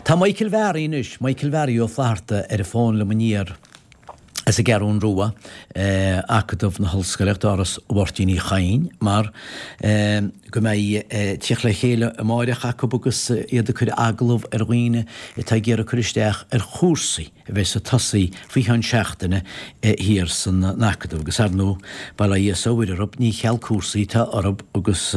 Tá Michael Bharry anois, Michael Bharry Ó Flatharta ar an bhfón liom aniar as an gCeathrún Rua, Acadamh na hOllscoile, Áras Mháirtín Uí Chadhain, mar go mbeidh teacht le chéile amáireach acu agus iad ag cur agallamh ar dhaoine atá ag iarraidh cur isteach ar chúrsaí a bheas ag tosaí faoi cheann seachtaine thiar san Acadamh. Agus ar ndóigh, bail ó Dhia is ó Mhuire orthu, ní cheal cúrsaí atá orthu agus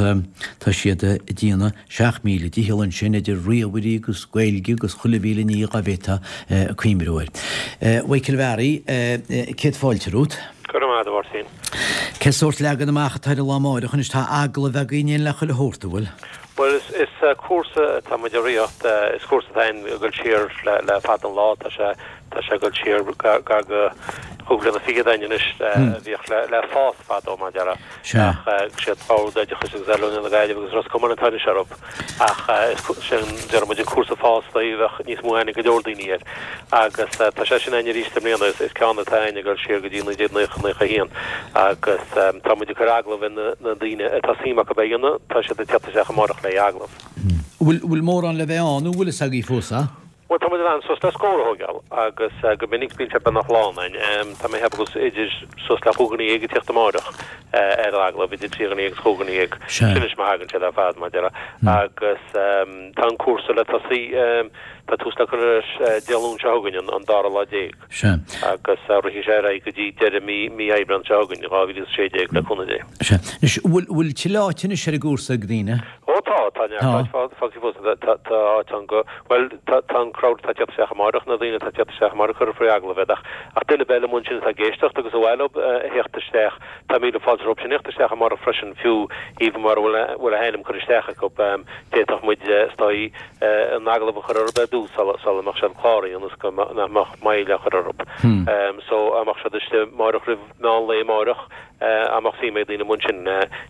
tá siad ag déanamh 7,000 dícheall ansin idir ríomhairí agus Gaeilge agus chuile mhíle ní dhá bhféadfá cuimhniú air. Mhichael Bharry, céad fáilte romhat. Go raibh maith agat, a Mháirtín. Cén sórt leagan amach atá ar an lá amáireach anois? Tá agallaimh agaibh in éindí le chuile shórt, an bhfuil? Bhuel, is cúrsa atá muid a rith, is cúrsa atá ag dul siar le fada an lá, tá sé tá sé ag dul siar gar go chúig bliana fichead againn anois, a bhíodh le fás fadó, mar a déarfá. Ach siad Bord Oideachais agus Oiliúna na Gaillimhe agus Ros Comáin atá anois orthu. Ach is sin, déarfaidh muid, an cúrsa fás dóibh, bheadh níos mó aithne ag go leor daoine air. Agus tá sé sin againn arís i mbliana. Is ceann atá againn ag dul siar go dtí 1990, 91. Agus tá muid ag cur agallamh ar na daoine atá suim acu é a dhéanamh, tá siad ag teacht isteach amárach le agallamh. Bhfuil mórán le bheith ann nó bhfuil fhios agaibh fós, a? Bhuel, tá muid in ann suas le scór a thógáil agus go minic bíonn sé beagnach lán againn. Tá mé ag ceapadh go bhfuil idir suas le chúig dhuine dhéag ag tíocht amáireach ar an agallamh, idir trí dhuine agus chúig dhuine dhéag. Sin anois má thagann siad ar fad, mar a déarfá. Agus tá an cúrsa le tosaí, tá tús le cur leis Dé Luain seo chugainn, an dara lá déag. Agus rithfidh sé ar aghaidh go dtí deireadh mí mí Aibreán seo chugainn, 2016, le cúnamh Dé. Sea. Anois, bhfuil bhfuil tuilleadh áite anois ar an gcúrsa ag daoine? Ó tá, tá neart áit fágtha fós. Tá tá áit ann go, bhuel, tá tá an crowd atá ag teacht isteach amáireach, na daoine atá ag teacht isteach amáireach cuirfear faoi agallamh iad ach ach duine ar bith eile amuigh ansin atá ag éisteacht agus ar mhaith leo a theacht isteach, tá míle fáilte rompu sin theacht isteach amáireach freisin fiú even mura bhfuil a bhfuil a hainm curtha isteach acu. D'fhéadfadh muid is dóigh an agallamh a chur orthu ar dtús sula sula mbeadh siad cláraithe ionas go nach mbeadh moill á chur orthu. So dá mbeadh siad istigh amáireach roimh meán lae amáireach, Dá mbeadh suim ag daoine amuigh ansin,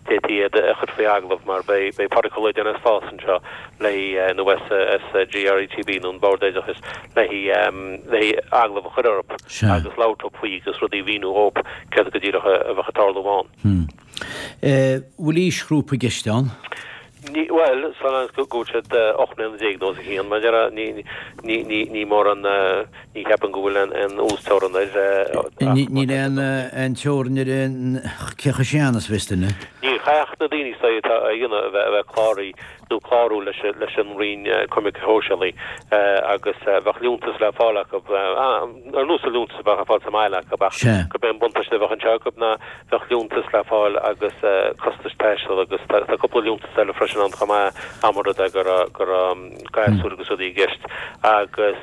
d'fhéadfaí iad a chur faoi agallamh mar beidh Pádraig Ó Loideáin as FÁS anseo le nó as GRETB nó an Bord Oideachais le le agallamh a chur orthu agus labhairt leo faoi agus rudaí a mhíniú dhóibh céard go díreach a bheadh ag tarlú ann. Bhfuil aoisghrúpa i gceist ann? Ní, bhuel, so long as go bhfuil siad 18 mbliana nó os a chionn, mar a déarfá, ní, ní, ní, ní mórán, ní cheapaim go bhfuil aon, aon uasteorainn air, ach má Níl aon, aon teorainn ar an, cé chomh sean is a bheas duine. Níl, caithfidh na daoine is dóigh atá á dhéanamh a bheith, a bheith cláraithe nó clárú leis, leis an Roinn Coimirce Shóisialaí agus bheadh liúntas le fáil acu, ar nós an liúntas a bheadh ar fáil sa mbaile acu ach gurb é an buntáiste a bheadh anseo acu ná Bheadh liúntas le fáil agus costais taistil agus tá cúpla liúntas eile freisin ann chomh maith, dá mba rud é go raibh go raibh gasúir agus rudaí i gceist agus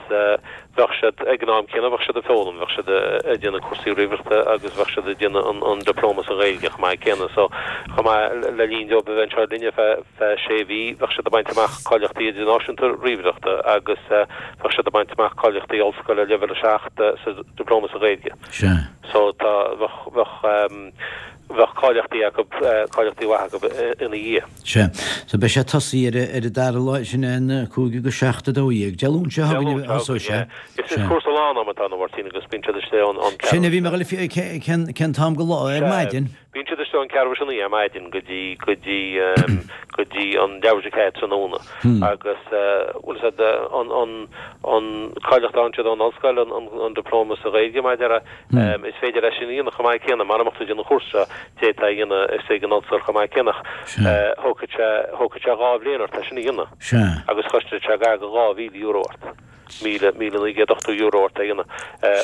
bheadh siad ag an am céanna bheadh siad ag foghlaim, bheadh siad ag déanamh cúrsaí ríomhaireachta agus bheadh siad ag déanamh an an dioplóma sa Ghaeilge chomh maith céanna. So chomh maith le linn dóibh a bheith anseo linne feadh feadh sé mhí bheadh siad ag baint amach cáilíochtaí idirnáisiúnta ríomhaireachta agus bheadh siad ag baint amach cáilíochtaí ollscoile leibhéal 7 sa dioplóma sa Ghaeilge. Sea. So tá, bheadh, bheadh, bheadh cáilíochtaí acu, cáilíochtaí mhaith acu ina dhiaidh. Sea. So beidh sé ag tosaí ar, ar an dara lá, sin é an 5 go 7 12. Dé Luain seo chugainn a thosóidh sé. Is, is cúrsa lán-ama atá ann, a Mháirtín, agus bíonn siad istigh ón, ón Sin a bhí mé ag dul a, cén, cén t-am go lá, ar maidin? Bíonn siad istigh ón ceathrú tar éis a naoi ar maidin go dtí, go dtí, go dtí an leathuair tar éis a ceathair tráthnóna agus bhfuil fhios a'd an, an, an cáilíocht a fhaigheann siad ón ollscoil, an, an, an diplóma sa Ghaeilge mar a déarfá, is féidir é sin a dhéanamh chomh maith céanna, mara mbeadh tú ag déanamh an chúrsa seo, d'fhéadfá é a dhéanamh istigh ag an ollscoil chomh maith céanna ach thógfadh sé, thógfadh sé dhá bhliain ort é sin a dhéanamh agus chosnódh sé gar do €2,000 ort. €1,980 ort é a dhéanamh.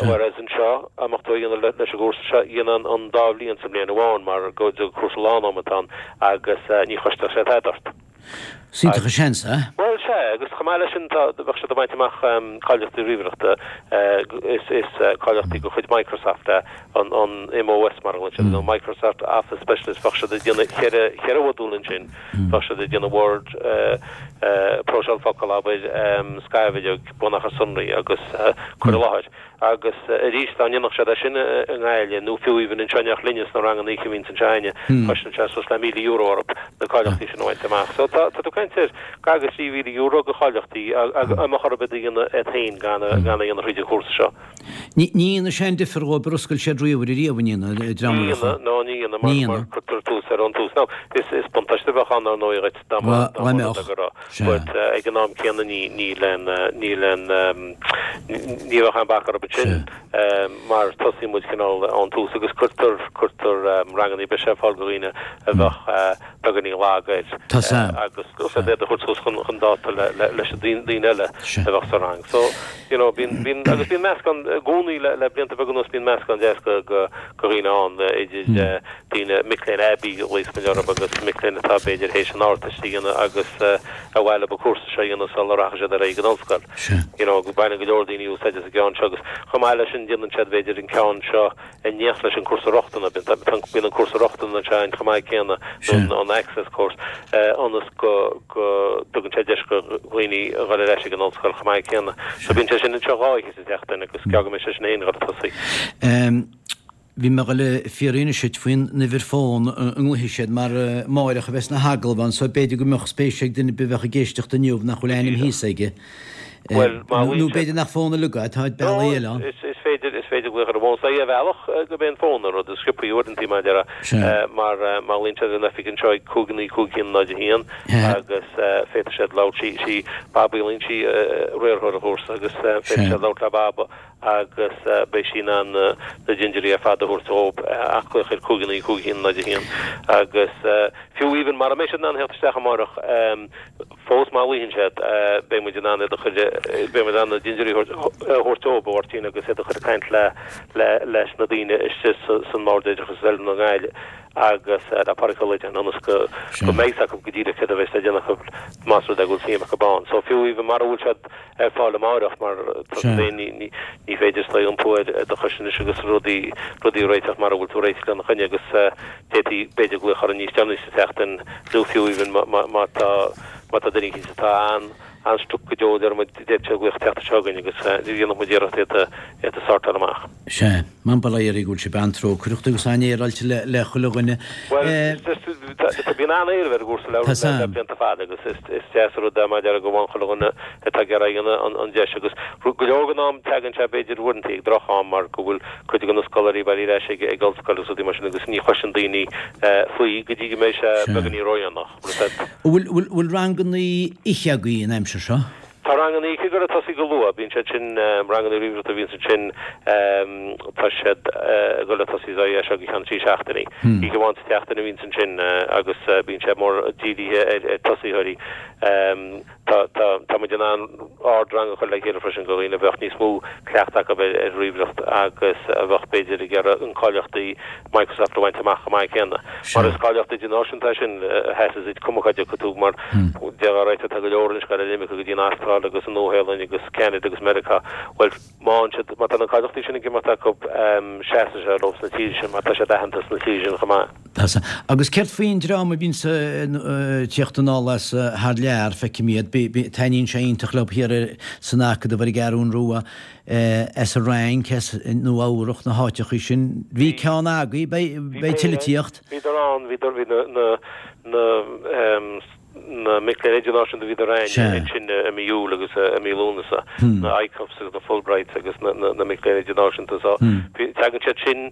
Whereas anseo, dá mbeadh tú á dhéanamh leis an gcúrsa seo, dhéanfá an dá bhliain sa mbliain amháin mar gur cúrsa lán-ama atá ann agus ní chosnódh sé tada ort. Is iontach an seans é. Bhuel, sea, agus chomh maith leis sin tá, bheadh siad ag baint amach cáilíochtaí ríomhaireachta, is is cáilíochtaí de chuid Microsoft é an an MOS mar a ghlaonn siad, nó Microsoft Office Specialist, bheadh siad ag déanamh cheithre cheithre mhodúl ansin. Bheadh siad ag déanamh Word, próiseáil focal, abair, scairbhideog, bunachar sonraí agus cur i láthair. Agus arís, dá ndéanfadh siad é sin i nGaillimh, nó fiú even anseo in éineacht linne sna ranganna oíche a bhíonns anseo againne, chosnódh sé suas le €1,000 orthu na cáilíochtaí sin a bhaint amach. So tá tú ag caint ar gar do €3,000 de cháilíochtaí dá mbeadh orthu iad a dhéanamh iad féin gan a dhéanamh thríd an chúrsa seo. Ní dhéanfaidh sé aon difear dhóibh ar oscail siad ríomhaire riamh, an ndéanfaidh, an dream Ní a no, ní dhéanfaidh, mar, mar cuirtear tús air ón tús. Now, is, is buntáiste a bheadh ann, ar ndóigh, dhuit, dá mba, dá mba rud é go raibh. But ag an am céanna ní, níl aon, níl aon, ní bheadh aon bac orthu sin, mar tosaíonn muid cineál ón tús agus cuirtear, cuirtear ranganna breise ar fáil do dhaoine a bheadh beagáinín lag air agus iad a thabhairt suas chun dáta leis na daoine eile a bheadh sa rang. So, you know, bíonn, bíonn, agus bíonn meascán i gcónaí le, le blianta beaga anuas bíonn meascán deas de, de, de dhaoine ann, idir daoine, mic léinn aibí a ghlaos muid orthu agus mic léinn atá b'fhéidir théis an Ardteist a dhéanamh agus ar mhaith leo an cúrsa seo a dhéanamh sula rachaidh siad ar aghaidh go ollscoil. You know, baineann go leor daoine úsáid as an gceann seo agus chomh maith leis sin déanann siad b'fhéidir an ceann seo in éineacht leis an cúrsa rochtana, bíonn an cúrsa rochtana anseo againn chomh maith céanna, nó an access course, ionas go dtugann sé deis do dhaoine a dhul ar ais ag an ollscoil chomh maith céanna. So bíonn sé sin anseo dhá oíche sa tseachtain agus ceap go mbeidh sé sin féin ag dul ag tosaí. Bhí mé ag dul a fiafraí anois duit faoin uimhir fón a nglaofaidh siad mar amáireach a bheas na hagallaimh ann so b'fhéidir go mbeadh spéis ag duine ar bith a bheadh ag éisteacht inniu nach bhfuil ainm thíos aige. Bhuel, má Nó b'fhéidir nach fón uilig é, tá bealaí eile ann. Is féidir, is féidir glaoch ar an bhfón. Is é ar bhealach gurb é an fón an rud is sciobthaí uaireanta, mar a déarfá, mar má ghlaonn siad ar an oifig anseo ag 5 9 5 1 0 1 agus féadfaidh siad labhairt, sí, sí Baba Uí Loingsigh riarthóir an chúrsa agus féadfaidh siad labhairt le Baba agus beidh sí in ann na dintiúirí ar fad a thabhairt dhóibh ach glaoch ar 5 9 5 1 0 1 agus fiú even mara mbeidh siad in ann theacht isteach amárach, Fós má ghlaonn siad, beidh muid in ann iad a chur, beidh muid in ann na dintiúirí a thabhairt dóibh, a Mháirtín, agus iad a chur ag caint le, le, leis na daoine istigh san mBord Oideachais agus Oiliúna i nGaillimh agus le Pádraig Ó Loideáin ionas go, go mbeidh 's acu go díreach céard a bheas le déanamh acu más rud é go bhfuil suim acu ann. So fiú even mara bhfuil siad ar fáil amáireach mar tá tú féin, ní, ní, ní féidir is dóigh iompú ar do chois anois agus rudaí, rudaí a réiteach mara bhfuil tú réitithe lena choinne agus, D'fhéadfaí, b'fhéidir, glaoch orainn níos deireanaí sa tseachtain, nó fiú even má tá, má tá duine eicínt atá an-an-stuck go deo, deir muid, d'fhéadfadh sé glaoch teacht anseo chugainn agus dhéanfadh muid iarracht iad a, iad a sortáil amach. Sea. Bail ó Dhia oraibh go bhfuil sibh an-trócaireach agus an-fhéaráilte le, le chuile dhuine. Bhuel, is, is, tá, tá, bíonn an-éileamh ar an gcúrsa le, le, le blianta fada agus is, is deas an rud é mar a déarfá go bhfaigheann chuile dhuine atá ag iarraidh a dhéanamh an, an deis agus go leor den am tagann sé b'fhéidir uaireanta ag droch-am mar go bhfuil cuid de na scoláirí bailithe ar ais ag ollscoil agus rudaí mar sin agus ní chloiseann daoine faoi go dtí go mbeidh sé beagáinín ródhéanach. Bhfuil bhfuil ranganna oíche agaibh an aimsir seo? Tá ranganna oíche ag dul ag tosaí go luath. Bíonn siad sin, ranganna ríomhaireachta a bhíonns ansin, tá siad ag dul ag tosaí as seo go ceann trí seachtainí. Oíche amháin sa tseachtain a bhíonns ansin agus bíonn sé mór dírithe ar tosaitheoirí. Tá, tá, tá muid in ann ardrang a chur le chéile freisin do dhaoine a bheadh níos mó cleachtadh acu ar, ar ríomhaireacht agus a bheadh b'fhéidir ag iarraidh an cáilíochtaí Microsoft a bhaint amach chomh maith céanna. Mar is cáilíocht idirnáisiúnta é sin a sheasas duit cuma cá dtiocfaidh tú mar déarfá right tá go leor anois ag dul ar imirce go dtí an Astráil agus an Nua-Shéalainn agus Ceanada agus Meiriceá. Bhuel, má fhaigheann siad, má tá na cáilíochtaí sin ag imeacht acu, seasfaidh sé leo sna tíortha sin mar tá siad aitheanta sna tíortha sin chomh maith. Tá sea. Agus céard faoin dream a bhíonns ag tíocht anall as thar lear, feicim iad, taitníonn sé iontach leo thiar san Acadamh ar an gCeathrún Rua, as an Fhrainc, as Nua Eabhrach, na háiteachaí sin. Bhí ceann agaibh, beidh tuilleadh ag tíocht. Bhíodar ann, bhíodar, bhí na, na, na, na mic léinn idirnáisiúnta bhíodar againn ansin i mí Iúil agus i mí Lúnasa, na ICUFs agus na Fulbrights agus na mic léinn idirnáisiúnta so tagann siad sin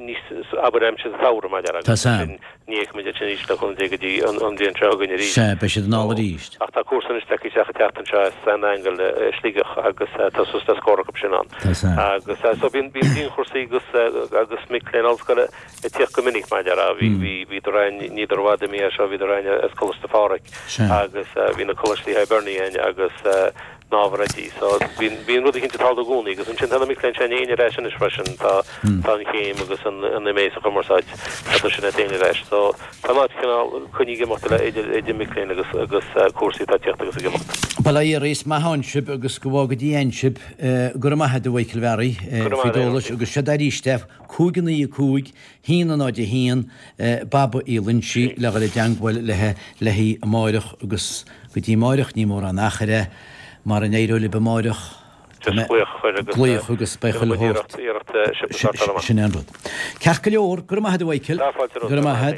níos, abair aimsir an tsamhraidh mar a déarfá agus sin ní fheicfidh muid iad sin arís le cúnamh Dé go dtí an bhliain seo chugainn arís. Sea, beidh siad anall arís. Ach tá cúrsa anois tagtha isteach an tseachtain seo as San Aingeal i Sligeach agus tá suas le scór acu sin ann. Agus so bíonn dianchúrsaí agus agus mic léinn ollscoile ag tíocht go minic mar a déarfá. Bhí, bhí, bhíodar againn, níodar i bhfad imithe as seo, bhíodar againn as Coláiste Phádraig agus bhí na Coláistí Hibernia againn agus na ábhair oidí. So bíonn, bíonn rud eicínt ag tarlú i gcónaí agus ansin tá na mic léinn sin féin ar ais anois freisin, tá, tá an chéim agus an, an MA sa chumarsáid, tá sin féin ar ais. So tá an áit cineál coinnithe ag imeacht le idir, idir mic léinn agus, agus cúrsaí atá ag tíocht agus ag imeacht. Bail ó Dhia oraibh, is maith ann sibh agus go bhfága Dia ann sibh. Go raibh maith agat a Mhichael Bharry faoi d'eolas agus seod arís é. 5 9 5 1 0 1, Baba Uí Loinsigh le dhul i dteangmháil léi léi amáireach agus go dtí amáireach ní mórán achair é, mara n-éireoidh libh amáireach Just glaoch a chur agus glaoch agus beidh chuile shórt iarracht iarracht sibh a sortáil amach. Sin é an rud. Ceart go leor, go raibh maith agat a Mhichael. Tá fáilte romhat. Go raibh maith agat.